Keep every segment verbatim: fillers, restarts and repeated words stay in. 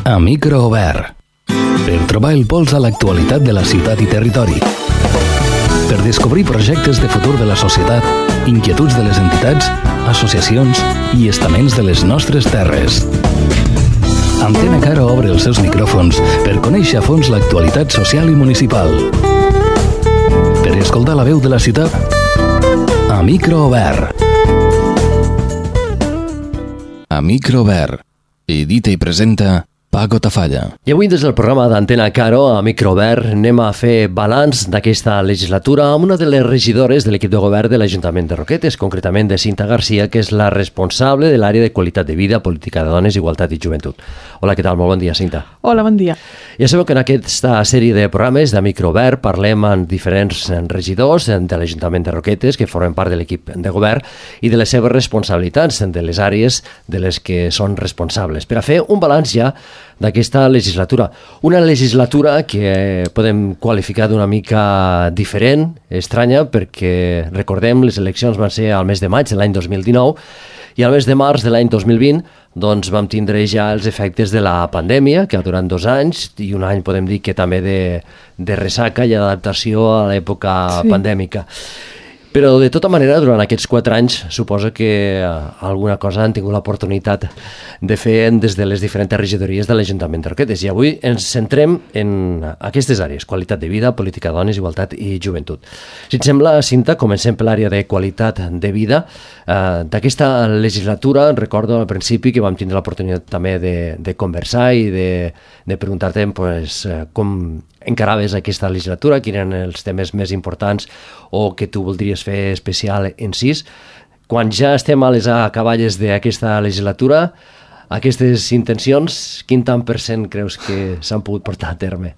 a micro obert, per trobar el pols a l'actualitat de la ciutat i territori, per descobrir projectes de futur de la societat, inquietuds de les entitats, associacions i estaments de les nostres terres. Antena Caro obre els seus micròfons per conèixer a fons l'actualitat social i municipal. Per escoltar la veu de la ciutat, a micro obert. A micro obert. Edita i presenta Paco Tafalla. I avui des del programa d'Antena Caro a Microobert anem a fer balanç d'aquesta legislatura amb una de les regidores de l'equip de govern de l'Ajuntament de Roquetes, concretament de Cinta Garcia, que és la responsable de l'àrea de qualitat de vida, política de dones, igualtat i joventut. Hola, què tal? Molt bon dia, Cinta. Hola, bon dia. Ja sabeu que en aquesta sèrie de programes de Microobert parlem amb diferents regidors de l'Ajuntament de Roquetes que formen part de l'equip de govern i de les seves responsabilitats, de les àrees de les que són responsables, per a fer un balanç ja d'aquesta legislatura. Una legislatura que podem qualificar d'una mica diferent, estranya, perquè recordem, les eleccions van ser al mes de maig de l'any dos mil dinou i al mes de març de l'any dos mil vint doncs vam tindre ja els efectes de la pandèmia, que ha durat dos anys, i un any podem dir que també de, de ressaca i adaptació a l'època sí. pandèmica. Però, de tota manera, durant aquests quatre anys, suposo que alguna cosa han tingut l'oportunitat de fer des de les diferents regidories de l'Ajuntament de Roquetes. I avui ens centrem en aquestes àrees, qualitat de vida, política de dones, igualtat i joventut. Si et sembla, Cinta, comencem per l'àrea de qualitat de vida. Uh, d'aquesta legislatura, recordo al principi que vam tindre l'oportunitat també de, de conversar i de, de preguntar-te pues, com encaraves aquesta legislatura, quins eren els temes més importants o que tu voldries fer especial incís. Quan ja estem a les acaballes d'aquesta legislatura, aquestes intencions, quin tant per cent creus que s'han pogut portar a terme?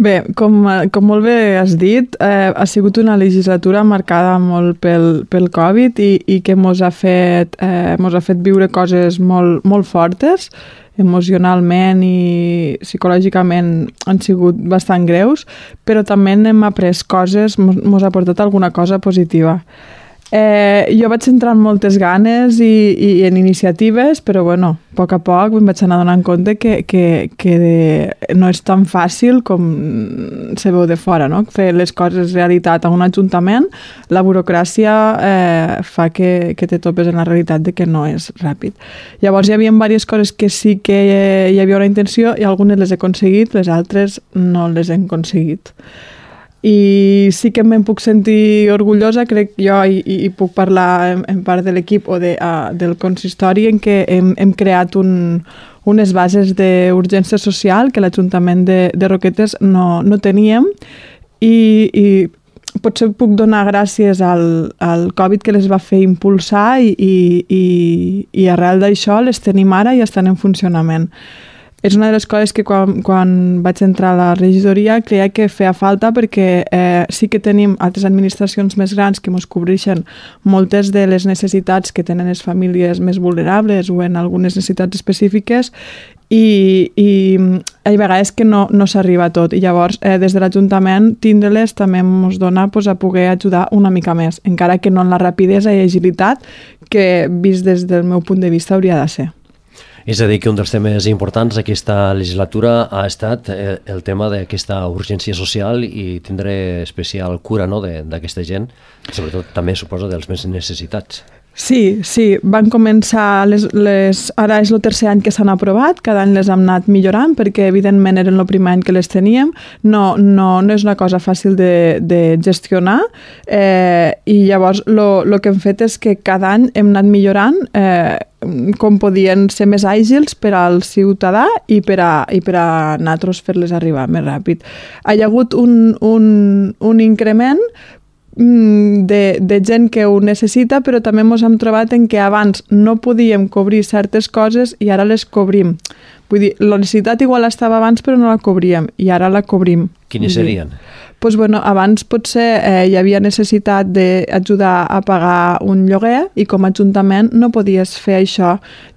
Bé, com, com molt bé has dit, eh, ha sigut una legislatura marcada molt pel, pel Covid i, i que mos ha fet, eh, mos ha fet viure coses molt, molt fortes, emocionalment i psicològicament han sigut bastant greus, però també hem après coses, mos, mos ha portat alguna cosa positiva. Eh, jo vaig entrar amb moltes ganes i, i en iniciatives, però bueno, a poc a poc em vaig anar donant compte que, que, que de, no és tan fàcil com se veu de fora, no? Fer les coses realitat a un ajuntament, la burocràcia eh, fa que, que te topes en la realitat de que no és ràpid. Llavors hi havia diverses coses que sí que hi havia una intenció i algunes les he aconseguit, les altres no les hem aconseguit. I sí que me'n puc sentir orgullosa, crec jo, i, i puc parlar en, en part de l'equip o de, uh, del consistori, en què hem, hem creat un, unes bases d'urgència social que l'Ajuntament de, de Roquetes no, no teníem i, i potser puc donar gràcies al, al Covid que les va fer impulsar i, i, i, i arrel d'això les tenim ara i estan en funcionament. És una de les coses que quan, quan vaig entrar a la regidoria creia que feia falta perquè eh, sí que tenim altres administracions més grans que ens cobreixen moltes de les necessitats que tenen les famílies més vulnerables o en algunes necessitats específiques i, i hi ha vegades que no, no s'arriba a tot i llavors eh, des de l'Ajuntament tindre-les també ens dona pues, a poder ajudar una mica més, encara que no en la rapidesa i agilitat que vist des del meu punt de vista hauria de ser. És a dir, que un dels temes importants d'aquesta legislatura ha estat el tema d'aquesta urgència social i tindre especial cura, no?, d'aquesta gent, sobretot també suposo dels més necessitats. Sí, sí, van començar, les, les, ara és el tercer any que s'han aprovat, cada any les hem anat millorant perquè evidentment eren el primer any que les teníem, no, no, no és una cosa fàcil de, de gestionar eh, i llavors el que hem fet és que cada any hem anat millorant eh, com podien ser més àgils per al ciutadà i per a, i per a nosaltres fer-les arribar més ràpid. Hi ha hagut un, un, un increment de, de gent que ho necessita, però també ens hem trobat en que abans no podíem cobrir certes coses i ara les cobrim. Vull dir, la necessitat igual estava abans però no la cobríem i ara la cobrim. Quines serien? Pues bueno, abans potser eh, hi havia necessitat d'ajudar a pagar un lloguer i com a ajuntament no podies fer això.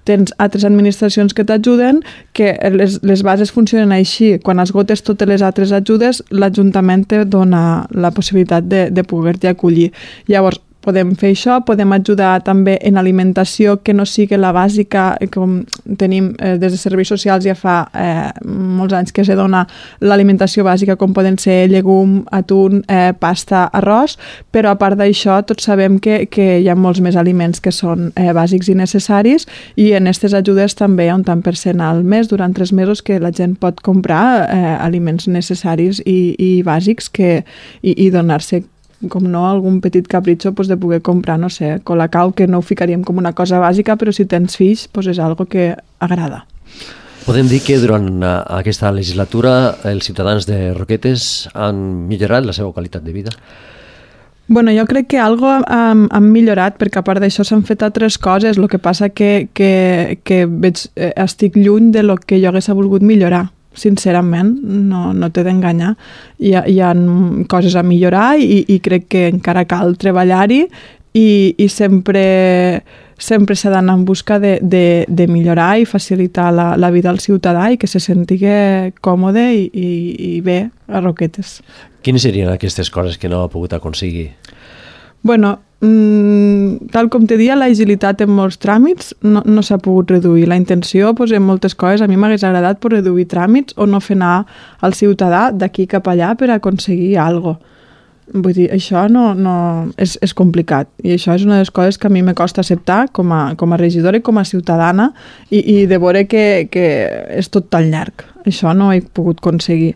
Tens altres administracions que t'ajuden, que les, les bases funcionen així. Quan esgotes totes les altres ajudes, l'Ajuntament te dona la possibilitat de, de poder-t'hi acollir. Llavors, podem fer això, podem ajudar també en alimentació que no sigui la bàsica, com tenim eh, des de serveis socials ja fa eh, molts anys que se dona l'alimentació bàsica, com poden ser llegum, atún, eh, pasta, arròs, però a part d'això tots sabem que, que hi ha molts més aliments que són eh, bàsics i necessaris, i en aquestes ajudes també hi ha un tant per cent al mes durant tres mesos que la gent pot comprar eh, aliments necessaris i, i bàsics que, i, i donar-se com no, algun petit capritxo pues, de poder comprar, no sé, colacao, que no ho ficaríem com una cosa bàsica, però si tens fills pues, és algo que agrada. Podem dir que durant aquesta legislatura els ciutadans de Roquetes han millorat la seva qualitat de vida? Bueno, jo crec que algo han, han millorat, perquè a part d'això s'han fet altres coses, el que passa que, que, que veig, eh, estic lluny de lo que jo hagués volgut millorar. Sincerament, no, no t'he d'enganyar. Hi ha, hi ha coses a millorar i, i crec que encara cal treballar-hi i, i sempre, sempre s'ha d'anar en busca de, de, de millorar i facilitar la, la vida al ciutadà i que se senti còmode i, i, i bé a Roquetes. Quines serien aquestes coses que no ha pogut aconseguir? Bueno, mmm, tal com te dia, l'agilitat en molts tràmits no, no s'ha pogut reduir. La intenció, pues, en moltes coses, a mi m'hagués agradat per reduir tràmits o no fer anar al ciutadà d'aquí cap allà per aconseguir alguna cosa. Vull dir, això no, no, és, és complicat i això és una de les coses que a mi me costa acceptar com a, com a regidora i com a ciutadana i, i de veure que, que és tot tan llarg. Això no ho he pogut aconseguir.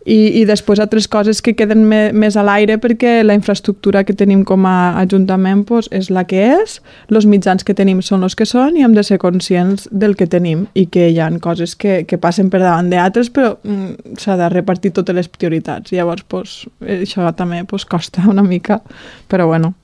I, i després altres coses que queden me, més a l'aire perquè la infraestructura que tenim com a ajuntament pues, és la que és, els mitjans que tenim són els que són i hem de ser conscients del que tenim i que hi ha coses que, que passen per davant d'altres però mm, s'ha de repartir totes les prioritats. Llavors pues, això també pues, costa una mica, però bueno,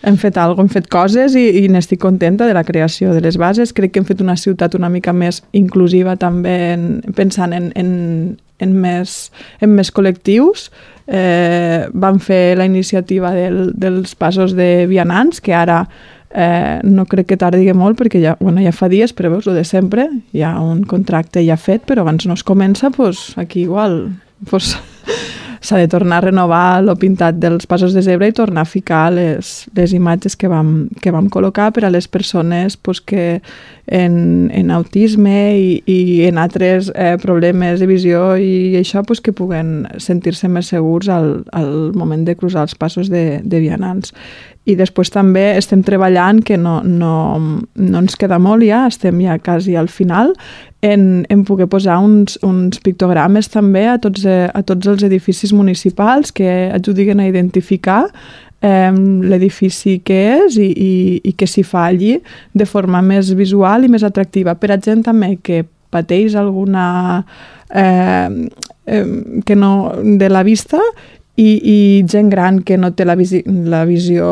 hem fet alguna cosa, hem fet coses i, i n'estic contenta de la creació de les bases. Crec que hem fet una ciutat una mica més inclusiva també en, pensant en, en en més, en més col·lectius. Eh, van fer la iniciativa del, dels passos de vianants, que ara eh, no crec que tardi molt, perquè ja, bueno, ja fa dies, però veus, el de sempre, hi ha un contracte ja fet, però abans no es comença, pues, aquí igual pues, s'ha de tornar a renovar el pintat dels passos de zebra i tornar a ficar les, les imatges que vam, que vam col·locar per a les persones pues, que en, en autisme i, i en altres eh, problemes de visió i això pues, que puguen sentir-se més segurs al, al moment de cruzar els passos de, de vianants. I després també estem treballant, que no, no, no ens queda molt ja, estem ja quasi al final, en, en poder posar uns, uns pictogrames també a tots, a tots els edificis municipals que ajudin a identificar eh, l'edifici que és i, i, i que s'hi fa allí de forma més visual i més atractiva. Per a gent també que pateix alguna eh, eh, que no de la vista i, i gent gran que no té la, visi, la visió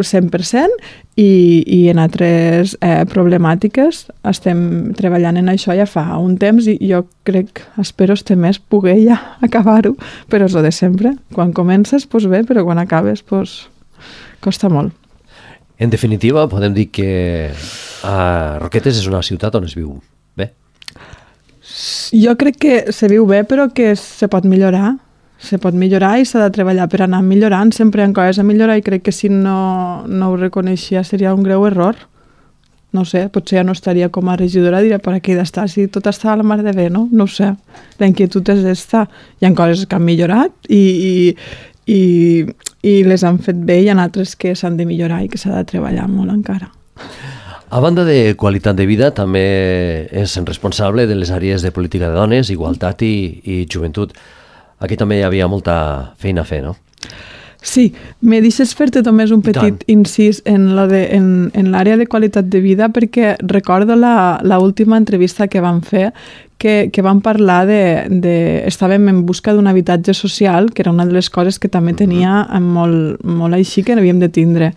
cent per cent i, i en altres eh, problemàtiques estem treballant en això ja fa un temps i jo crec, espero este mes poder ja acabar-ho, però és el de sempre. Quan comences, doncs bé, però quan acabes, doncs costa molt. En definitiva, podem dir que a Roquetes és una ciutat on es viu bé? Jo crec que se viu bé, però que se pot millorar. Se pot millorar i s'ha de treballar per anar millorant. Sempre hi ha coses a millorar i crec que si no, no ho reconeixia seria un greu error. No sé, potser ja no estaria com a regidora, diria, per aquí d'estar, si tot està a la mar de bé, no? No ho sé. La inquietud és d'estar. Hi ha coses que han millorat i, i, i, i les han fet bé i hi ha altres que s'han de millorar i que s'ha de treballar molt encara. A banda de qualitat de vida, també és responsable de les àrees de política de dones, igualtat i, i joventut. Aquí també hi havia molta feina a fer, no? Sí, me deixes fer-te només un petit incís en l'àrea de qualitat de vida perquè recordo l'última entrevista que vam fer que, que vam parlar de, de... Estàvem en busca d'un habitatge social, que era una de les coses que també tenia molt, molt així que havíem de tindre.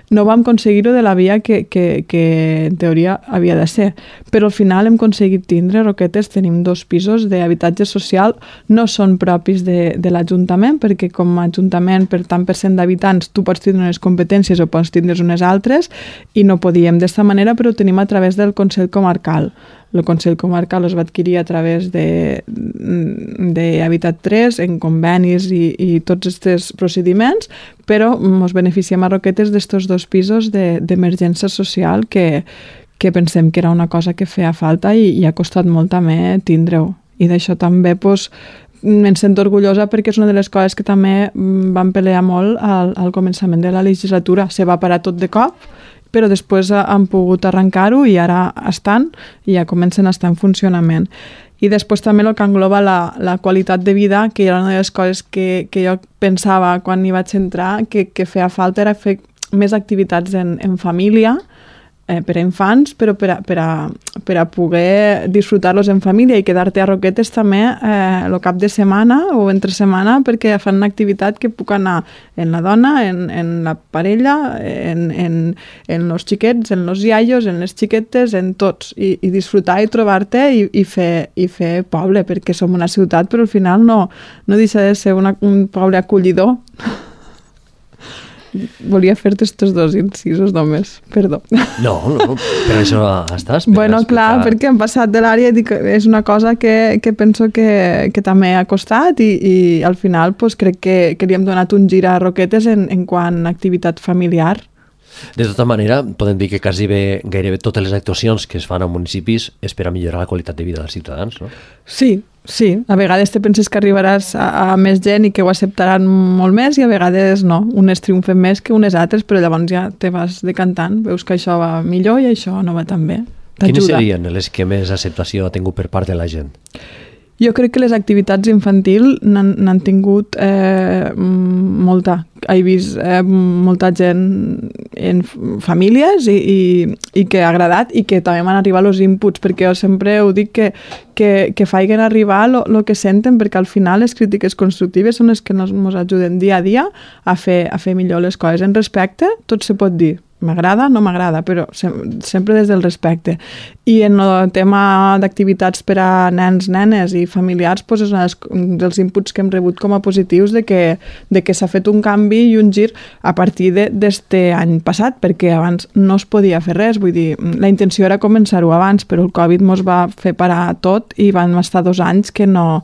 No vam aconseguir-ho de la via que, que, que en teoria havia de ser, però al final hem aconseguit tindre Roquetes, tenim dos pisos d'habitatge social, no són propis de, de l'Ajuntament, perquè com a Ajuntament per tant per cent d'habitants tu pots tindre unes competències o pots tindre unes altres i no podíem d'esta manera, però ho tenim a través del Consell Comarcal. el Consell Comarcal els va adquirir a través de, de Habitat tres en convenis i, i tots aquests procediments, però ens beneficiem a Roquetes d'estos dos pisos d'emergència social que, que pensem que era una cosa que feia falta i, i ha costat molt també tindre-ho. I d'això també doncs, em sento orgullosa perquè és una de les coses que també vam pelear molt al, al començament de la legislatura. Se va parar tot de cop, però després han pogut arrencar-ho i ara estan i ja comencen a estar en funcionament. I després també el que engloba la, la qualitat de vida, que era una de les coses que, que jo pensava quan hi vaig entrar, que, que feia falta era fer més activitats en, en família, Eh, per a infants, però per a, per a, per a poder disfrutar-los en família i quedar-te a Roquetes també eh, el cap de setmana o entre setmana perquè fan una activitat que puc anar en la dona, en, en la parella, en, en, en els xiquets, en els iaios, en les xiquetes, en tots, i, i disfrutar i trobar-te i, i, fer, i fer poble, perquè som una ciutat, però al final no, no deixa de ser una, un poble acollidor. Volia fer-te estos dos incisos només, perdó. No, no, per això estàs. Bueno, clar, perquè hem passat de l'àrea i és una cosa que, que penso que, que també ha costat i, i al final pues, crec que, que li hem donat un gir a Roquetes en, en quant a activitat familiar. De tota manera, podem dir que quasi bé, gairebé totes les actuacions que es fan a municipis és per a millorar la qualitat de vida dels ciutadans, no? Sí, sí. A vegades te penses que arribaràs a, a més gent i que ho acceptaran molt més i a vegades no. Unes triomfen més que unes altres, però llavors ja te vas decantant. Veus que això va millor i això no va tan bé. Quines serien les que més acceptació ha tingut per part de la gent? Jo crec que les activitats infantil n'han tingut eh, molta. He vist eh, molta gent en famílies i, i, i que ha agradat i que també m'han arribat els inputs, perquè jo sempre ho dic que, que, que faiguen arribar el que senten, perquè al final les crítiques constructives són les que ens ajuden dia a dia a fer, a fer millor les coses. En respecte, tot se pot dir. M'agrada, no m'agrada, però sem- sempre des del respecte. I en el tema d'activitats per a nens, nenes i familiars, doncs és un dels inputs que hem rebut com a positius de que, de que s'ha fet un canvi i un gir a partir d'este any passat, perquè abans no es podia fer res. Vull dir, la intenció era començar-ho abans, però el Covid mos va fer parar tot i van estar dos anys que no...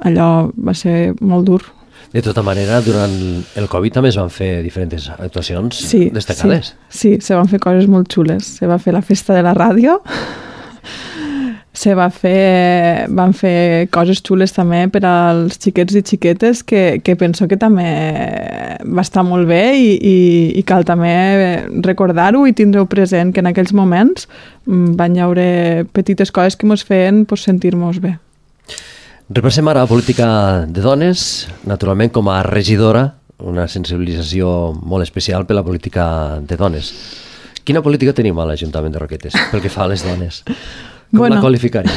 Allò va ser molt dur. De tota manera, durant el Covid també es van fer diferents actuacions sí, destacades. Sí, sí, se van fer coses molt xules. Se va fer la festa de la ràdio, se va fer, van fer coses xules també per als xiquets i xiquetes que, que penso que també va estar molt bé i, i, i cal també recordar-ho i tindre-ho present, que en aquells moments van hi haure petites coses que ens feien pues, sentir-nos bé. Repassem ara la política de dones, naturalment com a regidora, una sensibilització molt especial per la política de dones. Quina política tenim a l'Ajuntament de Roquetes pel que fa a les dones? Com bueno, la qualificaria?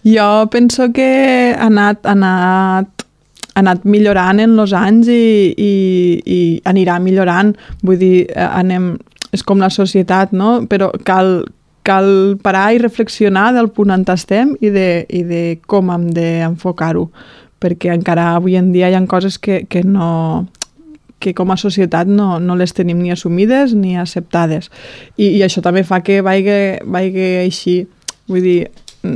Jo penso que ha anat, ha anat, ha anat millorant en els anys i, i, i anirà millorant. Vull dir, anem, és com la societat, no? Però cal... cal parar i reflexionar del punt on estem i de, i de com hem d'enfocar-ho, perquè encara avui en dia hi ha coses que, que, no, que com a societat no, no les tenim ni assumides ni acceptades. I, i això també fa que vagi, vagi així. Vull dir,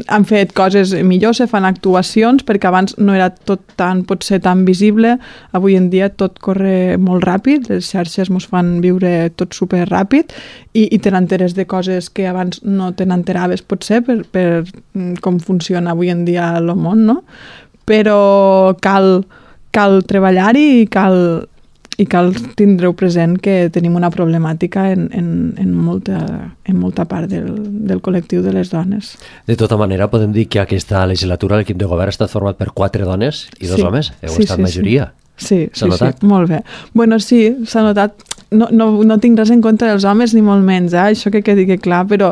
han fet coses millors, se fan actuacions, perquè abans no era tot tan, potser tan visible. Avui en dia tot corre molt ràpid, les xarxes ens fan viure tot super ràpid i, i te n'enteres de coses que abans no te n'enteraves potser per, per com funciona avui en dia el món, no? Però cal, cal treballar-hi i cal, i cal tindre-ho present que tenim una problemàtica en, en, en, molta, en molta part del, del col·lectiu de les dones. De tota manera, podem dir que aquesta legislatura l'equip de govern ha estat format per quatre dones i dos sí. homes. Heu sí, estat sí, majoria. Sí, s'ha sí, notat? Sí, molt bé. Bueno, sí, s'ha notat. No, no, no tinc res en contra dels homes ni molt menys, eh? Això que quedi que clar, però,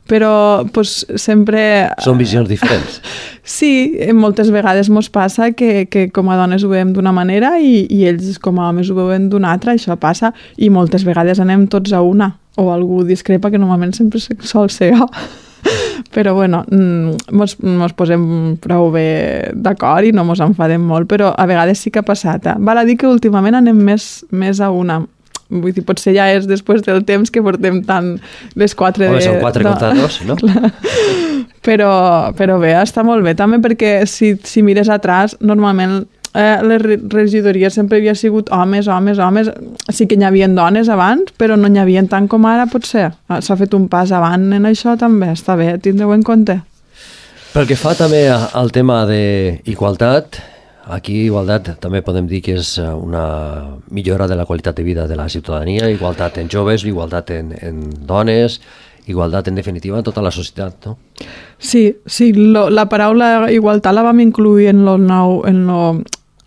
però pues, sempre... Són visions diferents. Sí, moltes vegades mos passa que, que com a dones ho veiem d'una manera i, i ells com a homes ho veuen d'una altra, això passa, i moltes vegades anem tots a una, o algú discrepa, que normalment sempre sol ser jo. Però bueno, mos, mos posem prou bé d'acord i no mos enfadem molt, però a vegades sí que ha passat. Eh? Val a dir que últimament anem més, més a una. Vull dir, potser ja és després del temps que portem tant les quatre... Home, de... són quatre no. contra dos, no? Però, però bé, està molt bé. També perquè si, si mires atrás, normalment eh, les regidories sempre havia sigut homes, homes, homes. Sí que n'hi havia dones abans, però no n'hi havia tant com ara, potser. S'ha fet un pas avant en això també. Està bé, tindreu en compte. Pel que fa també al tema d'igualtat, aquí igualtat també podem dir que és una millora de la qualitat de vida de la ciutadania, igualtat en joves, igualtat en, en dones, igualtat en definitiva en tota la societat, no? Sí, sí, lo, la paraula igualtat la vam incluir en lo nou, en lo,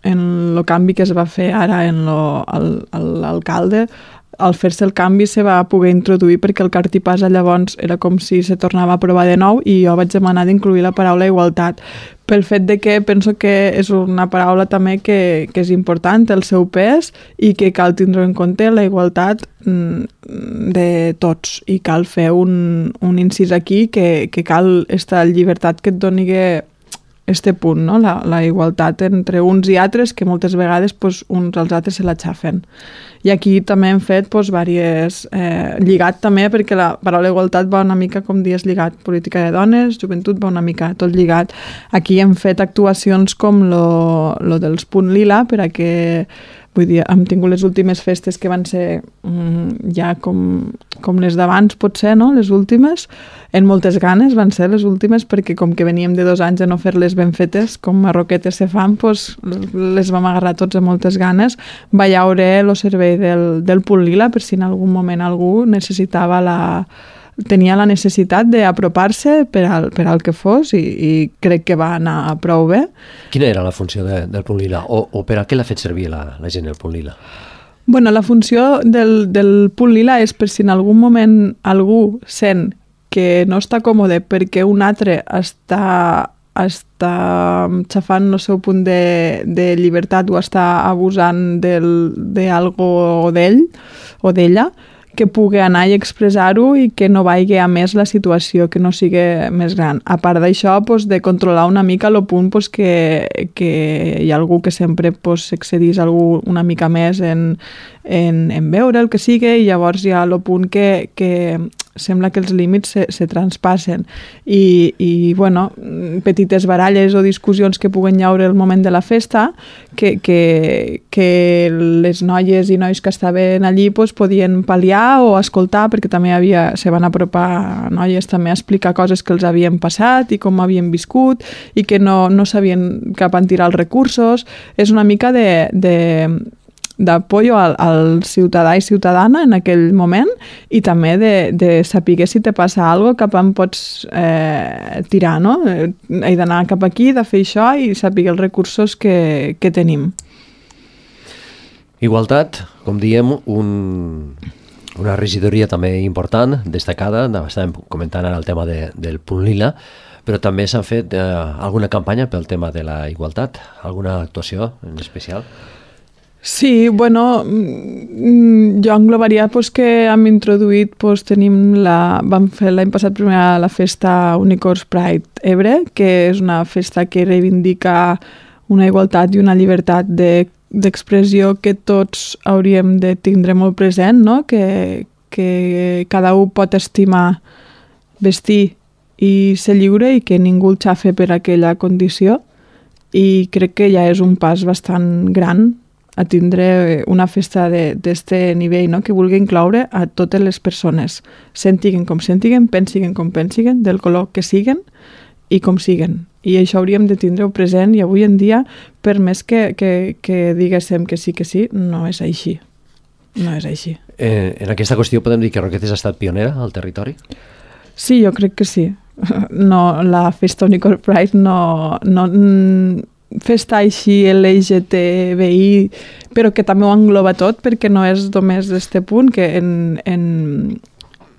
en lo canvi que es va fer ara en lo, el, el, l'alcalde. Al fer-se el canvi se va poder introduir perquè el cartipàs llavors era com si se tornava a provar de nou i jo vaig demanar d'incluir la paraula igualtat pel fet de que penso que és una paraula també que, que és important, el seu pes, i que cal tindre en compte la igualtat de tots i cal fer un, un incís aquí que, que cal esta llibertat que et doni este punt, no? la, la igualtat entre uns i altres, que moltes vegades pues, uns als altres se la xafen. I aquí també hem fet pues, diverses, eh, lligat també, perquè la paraula igualtat va una mica, com dies, lligat política de dones, joventut va una mica tot lligat. Aquí hem fet actuacions com lo, lo dels Punt Lila, per a que, vull dir, hem tingut les últimes festes que van ser mm, ja com, com les d'abans, potser, no?, les últimes, en moltes ganes van ser les últimes, perquè com que veníem de dos anys a no fer-les ben fetes, com a roquetes se fan, pues, les vam agarrar tots a moltes ganes. Va haure el servei del, del Punt Lila, per si en algun moment algú necessitava la... tenia la necessitat d'apropar-se per al, per al que fos i, i crec que va anar prou bé. Quina era la funció de, del Punt Lila? O, o per a què l'ha fet servir la, la gent del Punt Lila? Bueno, la funció del, del Punt Lila és per si en algun moment algú sent que no està còmode perquè un altre està, està xafant el seu punt de, de llibertat o està abusant d'algo d'ell o d'ella, que pugui anar i expressar-ho i que no vagi a més la situació, que no sigui més gran. A part d'això, pues, de controlar una mica el punt pues, que, que hi ha algú que sempre pues, s'excedís algú una mica més en, en, en veure el que sigui, i llavors hi ha el punt que, que sembla que els límits se, se transpassen. I, i bueno, petites baralles o discussions que puguen llaure al moment de la festa, que, que, que les noies i nois que estaven allí pues, podien pal·liar o escoltar, perquè també havia, se van apropar noies també a explicar coses que els havien passat i com havien viscut i que no, no sabien cap on tirar els recursos. És una mica de... de d'apoyo al, al ciutadà i ciutadana en aquell moment, i també de, de saber si te passa alguna cosa cap on pots eh, tirar, no? He d'anar cap aquí, de fer això i saber els recursos que, que tenim. Igualtat, com diem, un, una regidoria també important, destacada, estàvem comentant ara el tema de, del Punt Lila, però també s'ha fet eh, alguna campanya pel tema de la igualtat, alguna actuació en especial? Sí, bueno, jo englobaria pues, que hem introduït, pues, tenim la, vam fer l'any passat primer la festa Unicorns Pride Ebre, que és una festa que reivindica una igualtat i una llibertat de, d'expressió que tots hauríem de tindre molt present, no? que, que cada un pot estimar, vestir i ser lliure i que ningú el xafe per aquella condició, i crec que ja és un pas bastant gran a tindre una festa d'aquest nivell, no? Que vulgui incloure a totes les persones, sentiguen com sentiguen, pensiguen com pensiguen, del color que siguen i com siguen. I això hauríem de tindre-ho present, i avui en dia, per més que, que, que diguéssim que sí que sí, no és així. No és així. Eh, en aquesta qüestió podem dir que Roquetes ha estat pionera al territori? Sí, jo crec que sí. No, la festa Unicorn Pride no... no festa així L G T B I, però que també ho engloba tot, perquè no és només este punt, que en, en,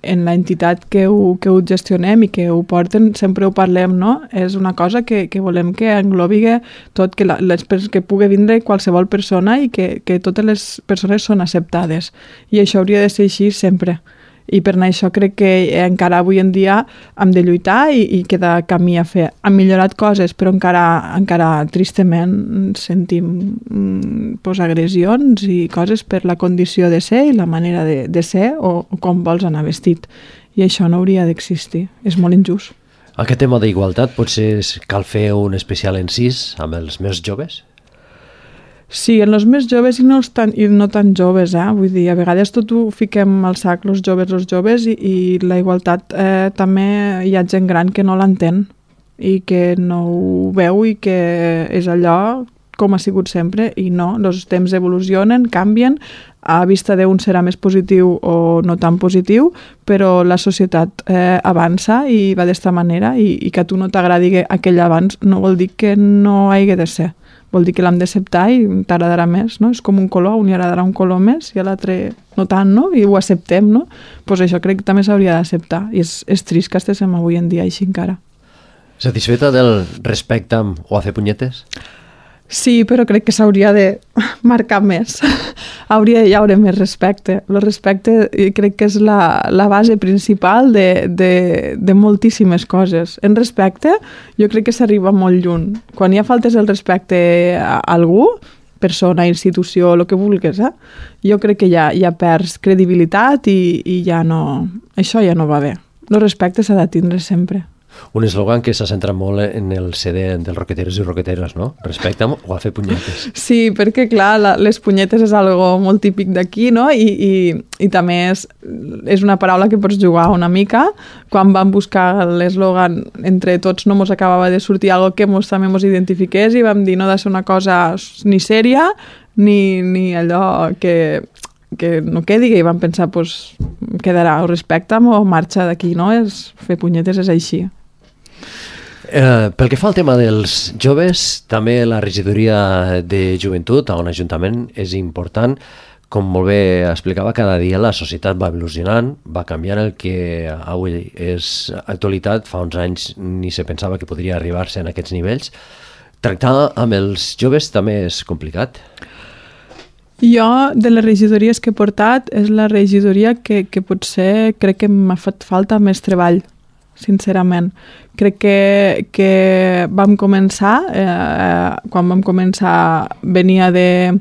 en l'entitat que ho, que ho gestionem i que ho porten sempre ho parlem, no? És una cosa que, que volem que englobi tot, que, la, les, que pugui vindre qualsevol persona i que, que totes les persones són acceptades, i això hauria de ser així sempre. I per això crec que encara avui en dia hem de lluitar i, i queda camí a fer. Han millorat coses, però encara, encara tristament sentim mm, pues, agressions i coses per la condició de ser i la manera de, de ser o, o com vols anar vestit. I això no hauria d'existir. És molt injust. Aquest tema d'igualtat potser cal fer un especial encís amb els més joves? Sí, en els més joves i no, els tan, i no tan joves, eh? Vull dir, a vegades tot ho fiquem al sac, els joves, els joves, i, i la igualtat eh, també hi ha gent gran que no l'entén i que no ho veu i que és allò com ha sigut sempre, i no, els temps evolucionen, canvien, a vista d'un serà més positiu o no tan positiu, però la societat eh, avança i va d'esta manera, i, i que a tu no t'agradi aquell abans no vol dir que no hagi de ser. Vol dir que l'hem d'acceptar i t'agradarà més, no? És com un color, a un li agradarà un color més i a l'altre no tant, no? I ho acceptem, no? Doncs pues això crec que també s'hauria d'acceptar, i és, és trist que estiguem avui en dia així encara. Satisfeta del respecte o a fer punyetes? Sí, però crec que s'hauria de marcar més. Hauria de haver més respecte. El respecte crec que és la, la base principal de, de, de moltíssimes coses. En respecte, jo crec que s'arriba molt lluny. Quan hi ha faltes el respecte a algú, persona, institució, el que vulguis, eh? Jo crec que ja, ja perds credibilitat i, i ja no... Això ja no va bé. El respecte s'ha de tindre sempre. Un eslògan que s'ha centrat molt en el C D dels roqueteros i roqueteres, no? Respecta'm o a fer punyetes. Sí, perquè clar, la, les punyetes és algo molt típic d'aquí, no? I, i, i també és, és una paraula que pots jugar una mica. Quan vam buscar l'eslògan, entre tots no mos acabava de sortir algo que mos també mos identifiqués i vam dir no ha de ser una cosa ni sèria ni, ni allò que... que no quedi, i vam pensar, pues, quedarà o respecta'm o marxa d'aquí, no? És, fer punyetes és així. Eh, pel que fa al tema dels joves, també la regidoria de joventut a un ajuntament és important. Com molt bé explicava, cada dia la societat va evolucionant, va canviant. El que avui és actualitat, fa uns anys ni se pensava que podria arribar-se en aquests nivells. Tractar amb els joves també és complicat. Jo, de les regidories que he portat, és la regidoria que, que potser crec que m'ha fet falta més treball, sincerament. Crec que, que vam començar, eh, quan vam començar venia de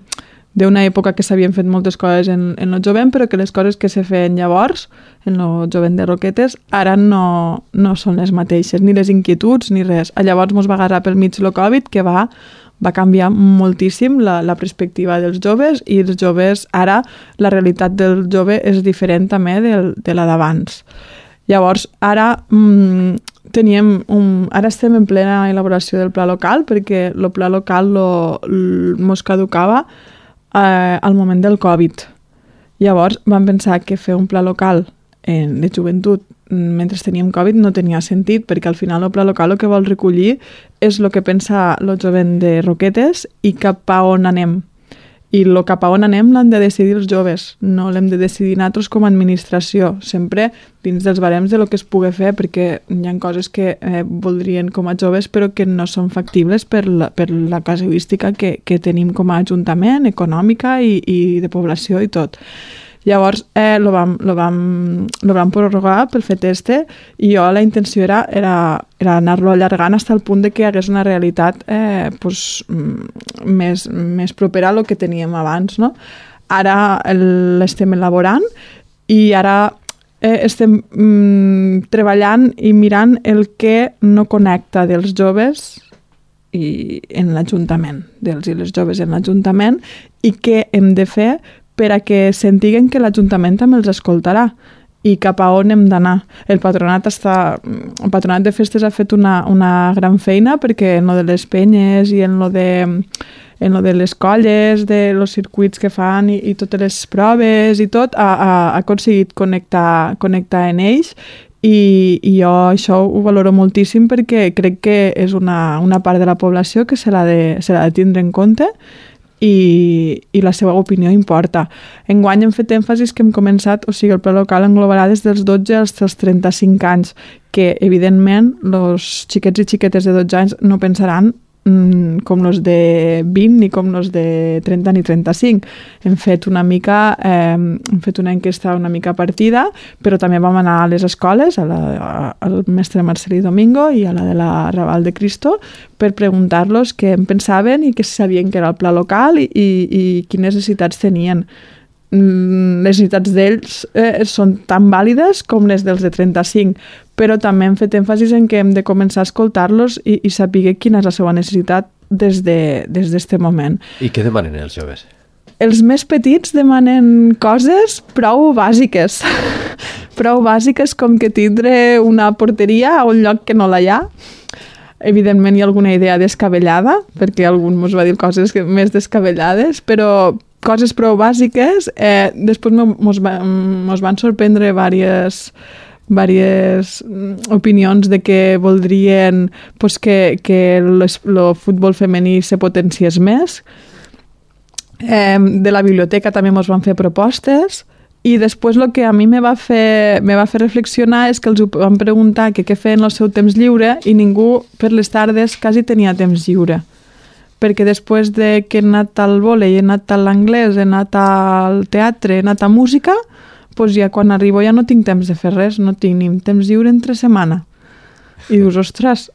d'una època que s'havien fet moltes coses en, en el jovent, però que les coses que se feien llavors, en el jovent de Roquetes, ara no, no són les mateixes, ni les inquietuds, ni res. Llavors mos va agarrar pel mig el Covid, que va va canviar moltíssim la, la perspectiva dels joves, i els joves, ara la realitat del jove és diferent també del, de la d'abans. Llavors, ara mmm, teníem un, ara estem en plena elaboració del pla local, perquè el pla local lo, lo, mos caducava eh, al moment del Covid. Llavors vam pensar que fer un pla local eh, de joventut mentre teníem Covid no tenia sentit, perquè al final el pla local el que vol recollir és el que pensa el jovent de Roquetes i cap a on anem. I el cap a on anem l'han de decidir els joves, no l'hem de decidir nosaltres com a administració, sempre dins dels barems de lo que es pugui fer, perquè hi ha coses que eh, voldrien com a joves però que no són factibles per la, per la casuística que, que tenim com a ajuntament, econòmica i, i de població i tot. Llavors, eh, lo vam, lo vam, lo vam prorrogar pel fet este, i jo la intenció era, era, era anar-lo allargant fins al punt de que hi hagués una realitat eh, pues, més, més propera a lo que teníem abans, no? Ara l'estem elaborant i ara eh, estem mm, treballant i mirant el que no connecta dels joves i en l'Ajuntament, dels i les joves en l'Ajuntament, i què hem de fer per a que sentiguen que l'Ajuntament també els escoltarà i cap a on hem d'anar. El patronat està, el patronat de festes ha fet una, una gran feina, perquè en lo de les penyes i en lo de, en lo de les colles, de los circuits que fan i, i totes les proves i tot, ha, ha, ha aconseguit connectar, connectar en ells, i, i jo això ho valoro moltíssim, perquè crec que és una, una part de la població que se l'ha de, se l'ha de tindre en compte, i, i la seva opinió importa. Enguany hem fet èmfasis que hem començat, o sigui, el pla local englobarà des dels dotze als trenta-cinc anys, que evidentment els xiquets i xiquetes de dotze anys no pensaran mm, com els de vint ni com els de trenta ni trenta-cinc. Hem fet una mica, eh, hem fet una enquesta una mica partida, però també vam anar a les escoles, a la, a, al mestre Marcelí Domingo i a la de la Raval de Cristo, per preguntar-los què en pensaven i què sabien que era el pla local i, i, i quines necessitats tenien. les necessitats d'ells eh, són tan vàlides com les dels de trenta-cinc, però també hem fet èmfasis en que hem de començar a escoltar-los i, i saber quina és la seva necessitat des de, des d'este moment. I què demanen els joves? Els més petits demanen coses prou bàsiques. Prou bàsiques com que tindre una porteria a un lloc que no la hi ha. Evidentment hi ha alguna idea descabellada, perquè algú ens va dir coses més descabellades, però coses prou bàsiques. Eh, després mos, va, mos van sorprendre diverses, diverses opinions de que voldrien pues, que, que el futbol femení se potenciés més. Eh, de la biblioteca també mos van fer propostes. I després el que a mi me va fer, me va fer reflexionar és que els van preguntar que què feien el seu temps lliure i ningú per les tardes quasi tenia temps lliure. Perquè després de que he anat al vòlei, he anat a l'anglès, he anat al teatre, he anat a música, doncs ja quan arribo ja no tinc temps de fer res, no tinc ni temps lliure entre setmana. I dius, ostres,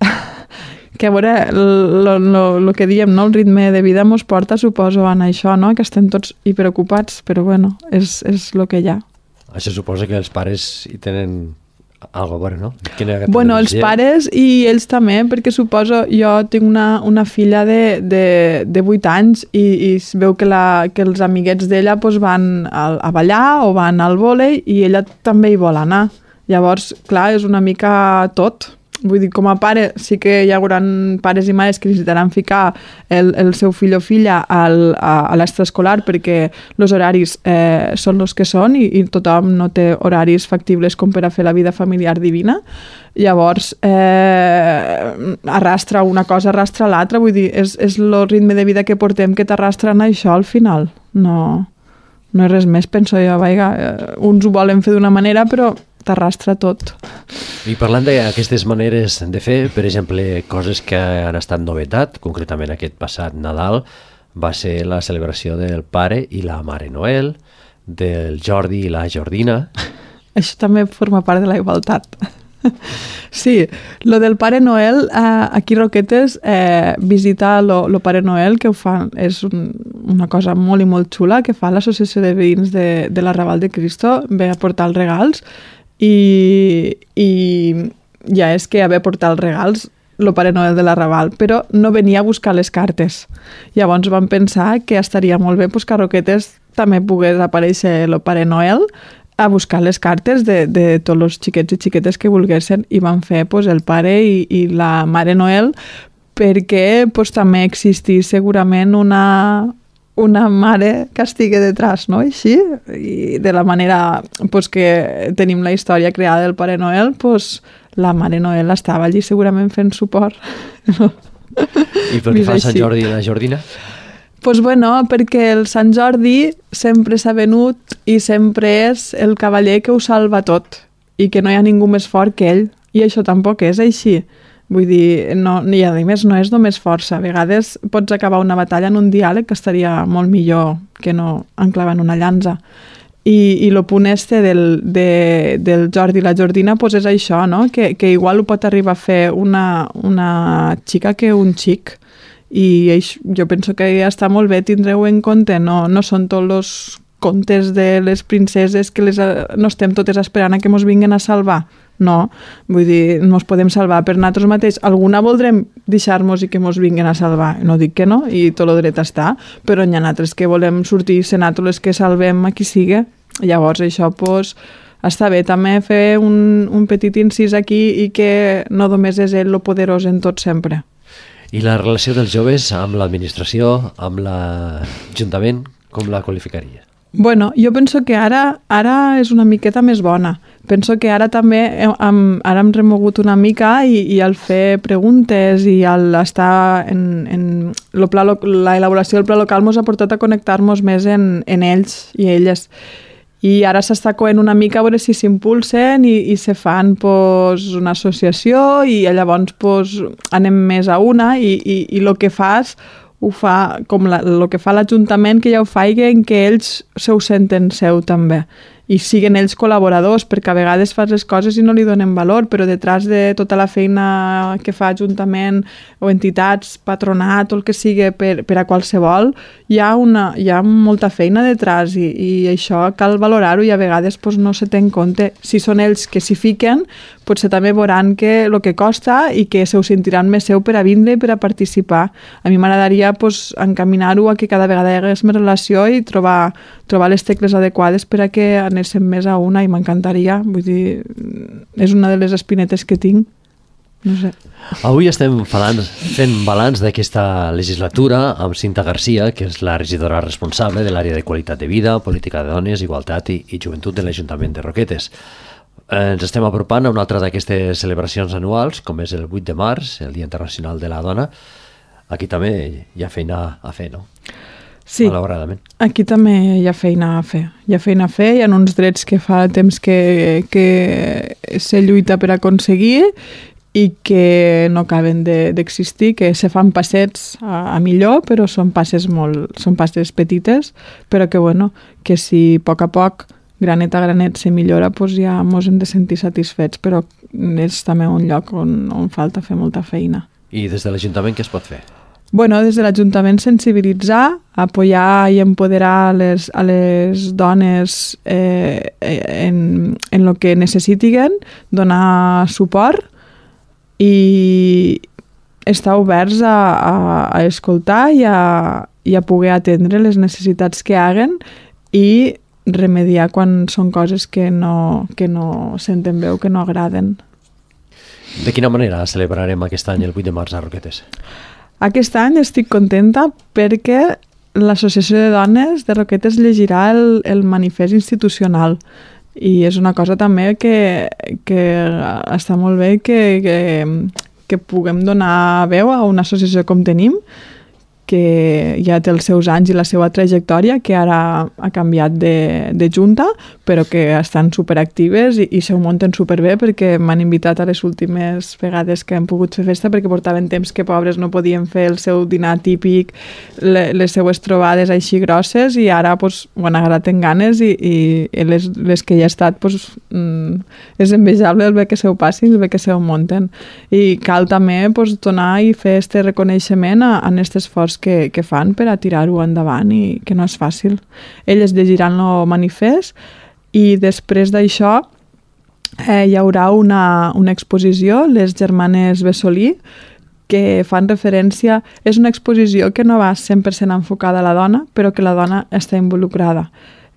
que a veure, el que diem, no? El ritme de vida mos porta, suposo, a això, no? Que estem tots hiperocupats, però bueno, és, és el que hi ha. Això suposa que els pares hi tenen algo a veure, no? Bueno, els pares i ells també, perquè suposo, jo tinc una, una filla de, de, de vuit anys i, i es veu que, la, que els amiguets d'ella pues, van a, a ballar o van al vòlei i ella també hi vol anar. Llavors, clar, és una mica tot. Vull dir, com a pare, sí que hi haurà pares i mares que necessitaran ficar el, el seu fill o filla al, a, a l'extraescolar perquè els horaris eh, són els que són i, i tothom no té horaris factibles com per a fer la vida familiar divina. Llavors, eh, arrastra una cosa, arrastra l'altra. Vull dir, és, és el ritme de vida que portem que t'arrastren això al final. No, no és res més, penso jo. Vaiga, uns ho volen fer d'una manera, però t'arrastra tot. I parlant d'aquestes maneres de fer, per exemple, coses que han estat novetat, concretament aquest passat Nadal, va ser la celebració del Pare i la Mare Noel, del Jordi i la Jordina. Això també forma part de la igualtat. Sí, lo del Pare Noel, eh, aquí Roquetes, eh, visitar lo, lo Pare Noel, que ho fan, és un, una cosa molt i molt xula, que fa l'Associació de Veïns de, de l'Arrabal de Cristo, ve a portar els regals, i, i ja és que haver portat els regals el Pare Noel de l'Arrabal, però no venia a buscar les cartes. Llavors vam pensar que estaria molt bé pues, que a Roquetes també pogués aparèixer el Pare Noel a buscar les cartes de, de tots els xiquets i xiquetes que volguessin i van fer pues, el Pare i, i la Mare Noel perquè pues, també existís segurament una... una mare que estigui detrás, no? Així, i de la manera pues, que tenim la història creada del Pare Noel, pues, la Mare Noel estava allí segurament fent suport. I pel que fa a Sant Jordi i la Jordina? Pues bueno, perquè el Sant Jordi sempre s'ha venut i sempre és el cavaller que ho salva tot i que no hi ha ningú més fort que ell. I això tampoc és així. Vull dir, no, i a més no és només força. A vegades pots acabar una batalla en un diàleg que estaria molt millor que no enclavar en una llança. I, i el punt este del, de, del Jordi i la Jordina pues és això, no? Que, que igual ho pot arribar a fer una, una xica que un xic. I eix, jo penso que ja està molt bé, tindreu en compte. No, no són tots els contes de les princeses que les, no estem totes esperant a que mos vinguen a salvar. No, vull dir, mos podem salvar per nosaltres mateix. Alguna voldrem deixar-nos i que mos vinguin a salvar. No dic que no, i tot el dret està, però hi ha altres que volem sortir i ser nosaltres que salvem a qui sigui. Llavors això, pues, està bé també fer un, un petit incís aquí i que no només és ell lo poderós en tot sempre. I la relació dels joves amb l'administració, amb l'Ajuntament, com la qualificaria? Bueno, jo penso que ara ara és una miqueta més bona. Penso que ara també hem, ara hem remogut una mica i, i al fer preguntes i al estar en, en lo pla, la elaboració del pla local ens ha portat a connectar-nos més en, en ells i elles. I ara s'està coent una mica a veure si s'impulsen i, i se fan pues, una associació i llavors pues, anem més a una i, i, i el que fas ho fa com el que fa l'Ajuntament, que ja ho faig en què ells se ho senten seu també. i siguen ells col·laboradors, perquè a vegades fas les coses i no li donen valor, però detrás de tota la feina que fa Ajuntament o entitats, patronat o el que sigui per, per a qualsevol, hi ha, una, hi ha molta feina detrás i, i això cal valorar-ho i a vegades pues, no se té en compte. Si són ells que s'hi fiquen, potser també veuran que el que costa i que se ho sentiran més seu per a vindre i per a participar. A mi m'agradaria pues, encaminar-ho a que cada vegada hi hagués més relació i trobar, trobar les tecles adequades per a que anéssim més a una i m'encantaria. Vull dir, és una de les espinetes que tinc. No sé. Avui estem falant, fent balanç d'aquesta legislatura amb Cinta Garcia, que és la regidora responsable de l'àrea de qualitat de vida, política de dones, igualtat i, i joventut de l'Ajuntament de Roquetes. Eh, ens estem apropant a una altra d'aquestes celebracions anuals, com és el vuit de març, el Dia Internacional de la Dona. Aquí també hi ha feina a fer, no? Sí, malauradament. Aquí també hi ha feina a fer. Hi ha feina a fer, hi ha uns drets que fa temps que, que se lluita per aconseguir i que no acaben d'existir, de, que se fan passets a, a millor, però són passes molt, són passes petites, però que, bueno, que si a poc a poc, granet a granet, se millora, doncs ja ens hem de sentir satisfets, però és també un lloc on, on falta fer molta feina. I des de l'Ajuntament què es pot fer? Bueno, des de l'Ajuntament sensibilitzar, apoyar i empoderar les, a les dones eh, en, en el que necessitiguen, donar suport i estar oberts a, a, a escoltar i a, i a poder atendre les necessitats que haguen i remediar quan són coses que no, que no senten bé o que no agraden. De quina manera celebrarem aquest any el vuit de març a Roquetes? Aquest any estic contenta perquè l'Associació de Dones de Roquetes llegirà el, el manifest institucional i és una cosa també que, que està molt bé que, que, que puguem donar veu a una associació com tenim, que ja té els seus anys i la seva trajectòria, que ara ha canviat de, de junta, però que estan superactives i, i se ho munten superbé perquè m'han invitat a les últimes vegades que hem pogut fer festa perquè portaven temps que pobres no podien fer el seu dinar típic, le, les seues trobades així grosses i ara pues, ho han agarrat en ganes i, i les, les que hi ha estat pues, mm, és envejable el bé que se ho passin, el bé que se ho munten. I cal també pues, donar i fer este reconeixement a, a aquest esforç que, que fan per a tirar-ho endavant i que no és fàcil. Elles llegiran el manifest i després d'això eh, hi haurà una, una exposició, les germanes Bessolí, que fan referència... És una exposició que no va cent per cent enfocada a la dona, però que la dona està involucrada.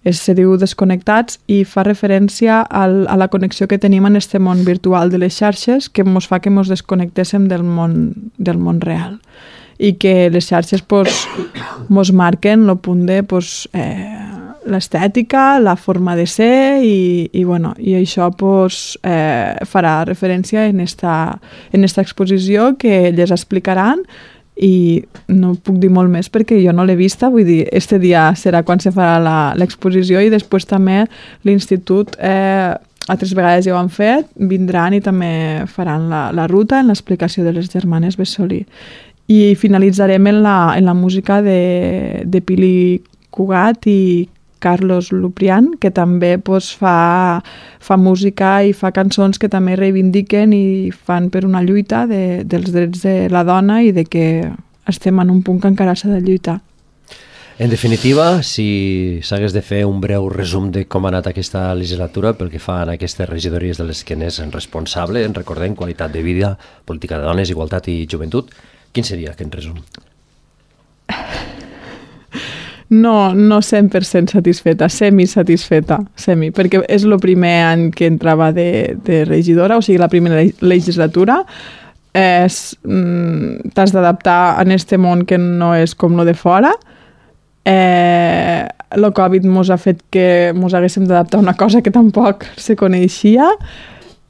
Es, se diu Desconnectats i fa referència al, a la connexió que tenim en este món virtual de les xarxes que ens fa que ens desconnectéssim del món, del món real. I que les xarxes pues, mos marquen el punt de pues, eh, l'estètica, la forma de ser i, i, bueno, i això pues, eh, farà referència en esta, en esta exposició que elles explicaran i no puc dir molt més perquè jo no l'he vista, vull dir, este dia serà quan se farà l'exposició i després també l'institut eh, altres vegades ja ho han fet, vindran i també faran la, la ruta en l'explicació de les germanes Bessolí. I finalitzarem en la, en la música de, de Pili Cugat i Carlos Luprián, que també pues, fa, fa música i fa cançons que també reivindiquen i fan per una lluita de, dels drets de la dona i de que estem en un punt que encara s'ha de lluitar. En definitiva, si s'hagués de fer un breu resum de com ha anat aquesta legislatura pel que fa a aquestes regidories de les que n'és responsable, en recordem qualitat de vida, política de dones, igualtat i joventut, quin seria aquest resum? No, no cent per cent satisfeta, semi-satisfeta, semi, perquè és el primer any que entrava de, de regidora, o sigui, la primera legislatura. És, mm, t'has d'adaptar a este món que no és com lo de fora. Eh, el Covid mos ha fet que mos haguéssim d'adaptar a una cosa que tampoc se coneixia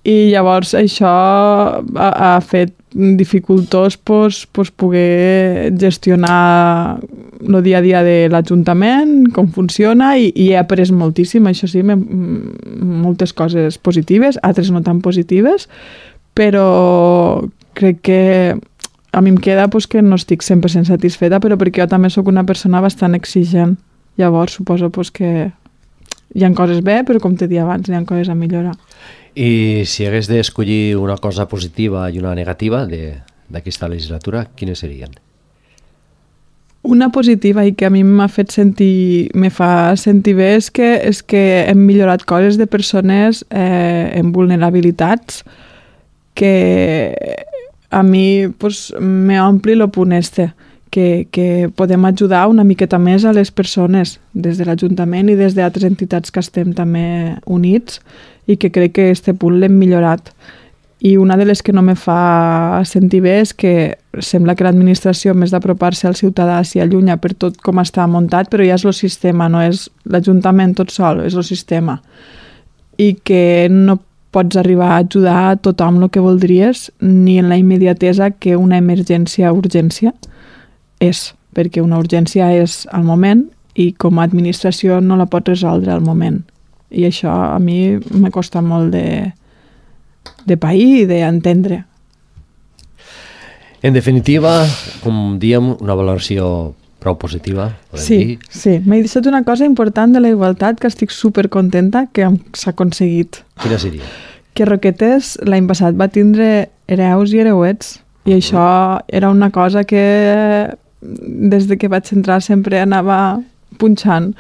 i llavors això ha, ha fet dificultós pues, pues poder gestionar el dia a dia de l'Ajuntament, com funciona, i, i he après moltíssim, això sí, me, moltes coses positives, altres no tan positives, però crec que a mi em queda pues, que no estic cent per cent satisfeta, però perquè jo també sóc una persona bastant exigent. Llavors suposo pues, que hi ha coses bé, però com t'he dit abans, hi ha coses a millorar. I si hagués d'escollir una cosa positiva i una negativa d'aquesta legislatura, quines serien? Una positiva i que a mi m'ha fet sentir, me fa sentir bé és que, és que hem millorat coses de persones eh, amb vulnerabilitats que a mi pues, me ompli lo punt este, que, que podem ajudar una miqueta més a les persones des de l'Ajuntament i des d'altres entitats que estem també units i que crec que este punt l'hem millorat. I una de les que no me fa sentir bé és que sembla que l'administració, més d'apropar-se al ciutadà, s'hi allunya per tot com està muntat, però ja és el sistema, no és l'Ajuntament tot sol, és el sistema. I que no pots arribar a ajudar a tothom el que voldries, ni en la immediatesa que una emergència o urgència és, perquè una urgència és al moment i com a administració no la pots resoldre al moment. I això a mi m'ha costat molt de, de pair i d'entendre. En definitiva, com diem, una valoració prou positiva, podem sí, dir. Sí, m'he deixat una cosa important de la igualtat que estic supercontenta que s'ha aconseguit. Quina seria? Que Roquetes l'any passat va tindre hereus i hereuets i uh-huh. això era una cosa que des de que vaig entrar sempre anava punxant.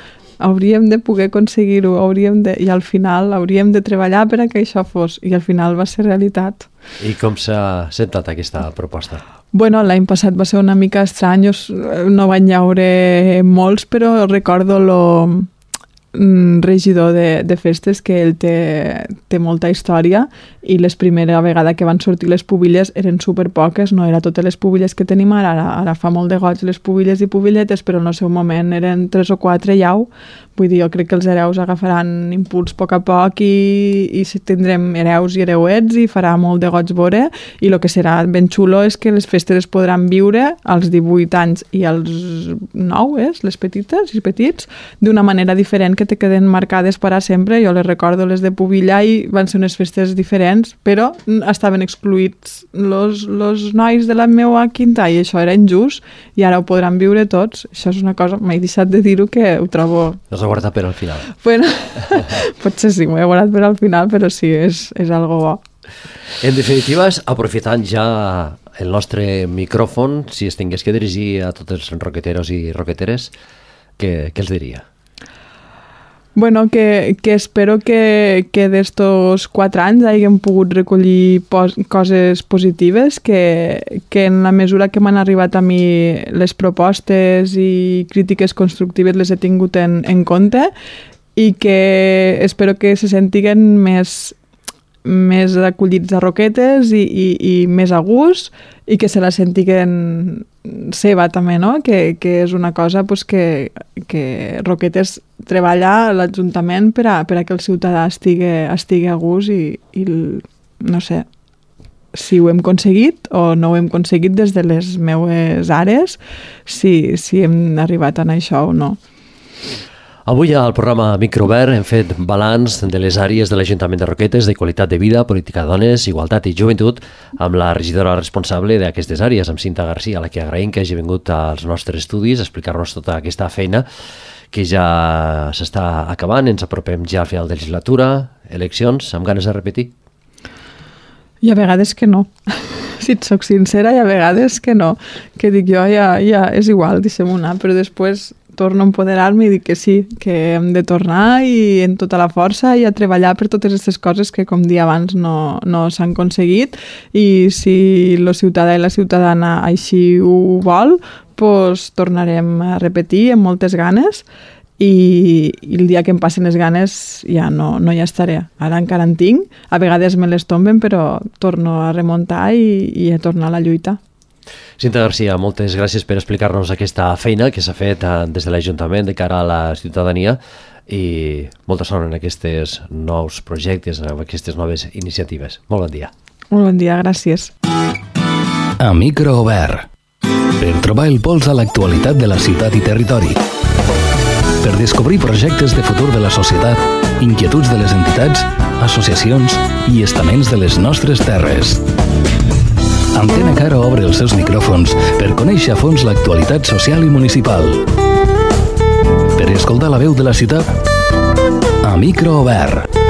Hauríem de poder aconseguir-ho, hauríem de, i al final hauríem de treballar per a que això fos, i al final va ser realitat. I com s'ha sentat aquesta proposta? Bueno, l'any passat va ser una mica estrany, no van llaure molts, però recordo lo regidor de, de festes que ell té, té molta història i la primera vegada que van sortir les pubilles eren superpoques, no era totes les pubilles que tenim ara, ara, ara fa molt de goig les pubilles i pubilletes, però en el seu moment eren tres o quatre llau, vull dir, jo crec que els hereus agafaran impuls a poc a poc i, i tindrem hereus i hereuets i farà molt de goig veure, i el que serà ben xulo és que les festes es podran viure als divuit anys i als nou, eh, les petites i petits, d'una manera diferent que te queden marcades per a sempre. Jo les recordo les de Pubilla i van ser unes festes diferents, però estaven excluïts los, los nois de la meva quinta i això era injust i ara ho podran viure tots. Això és una cosa, m'he deixat de dir-ho que ho trobo... L'has guardat per al final. Bueno, potser sí, m'ho he guardat per al final, però sí, és, és algo bo. En definitiva, aprofitant ja el nostre micròfon, si es tingués que dirigir a tots els roqueteros i roqueteres, què, què els diria? Bueno, que, que espero que, que d'estos quatre anys hàgim pogut recollir pos, coses positives, que, que en la mesura que m'han arribat a mi les propostes i crítiques constructives les he tingut en, en compte i que espero que se sentiguen més, més acollits a Roquetes i, i, i més a gust i que se la sentiguen seva també, no? Que, que és una cosa pues, que, que Roquetes treballa a l'Ajuntament per a, per a que el ciutadà estigui, estigui a gust i, i no sé si ho hem aconseguit o no ho hem aconseguit des de les meues àrees, si, si hem arribat a això o no. Avui al programa Microobert hem fet balanç de les àrees de l'Ajuntament de Roquetes de qualitat de vida, política de dones, igualtat i joventut amb la regidora responsable d'aquestes àrees, amb Cinta Garcia, a la que agraïm que hagi vingut als nostres estudis a explicar-nos tota aquesta feina que ja s'està acabant, ens apropem ja al final de legislatura, eleccions, amb ganes de repetir? I a vegades que no. Si et soc sincera, i a vegades que no. Que dic jo, ja, ja és igual, deixem-ho anar, però després torno a empoderar-me i dic que sí, que hem de tornar i en tota la força i a treballar per totes aquestes coses que, com dia abans, no, no s'han aconseguit i si el ciutadà i la ciutadana així ho vol, doncs tornarem a repetir amb moltes ganes i, i el dia que em passen les ganes ja no, no hi estaré. Ara encara en tinc, a vegades me les tomben, però torno a remuntar i, i a tornar a la lluita. Cinta Garcia, moltes gràcies per explicar-nos aquesta feina que s'ha fet des de l'Ajuntament de cara a la ciutadania i molta sort en aquests nous projectes, en aquestes noves iniciatives. Molt bon dia. Molt bon dia, gràcies. A Microobert, per trobar el pols a l'actualitat de la ciutat i territori. Per descobrir projectes de futur de la societat, inquietuds de les entitats, associacions i estaments de les nostres terres. Antena Caro obre els seus micròfons per conèixer a fons l'actualitat social i municipal. Per escoltar la veu de la ciutat, a a micro obert.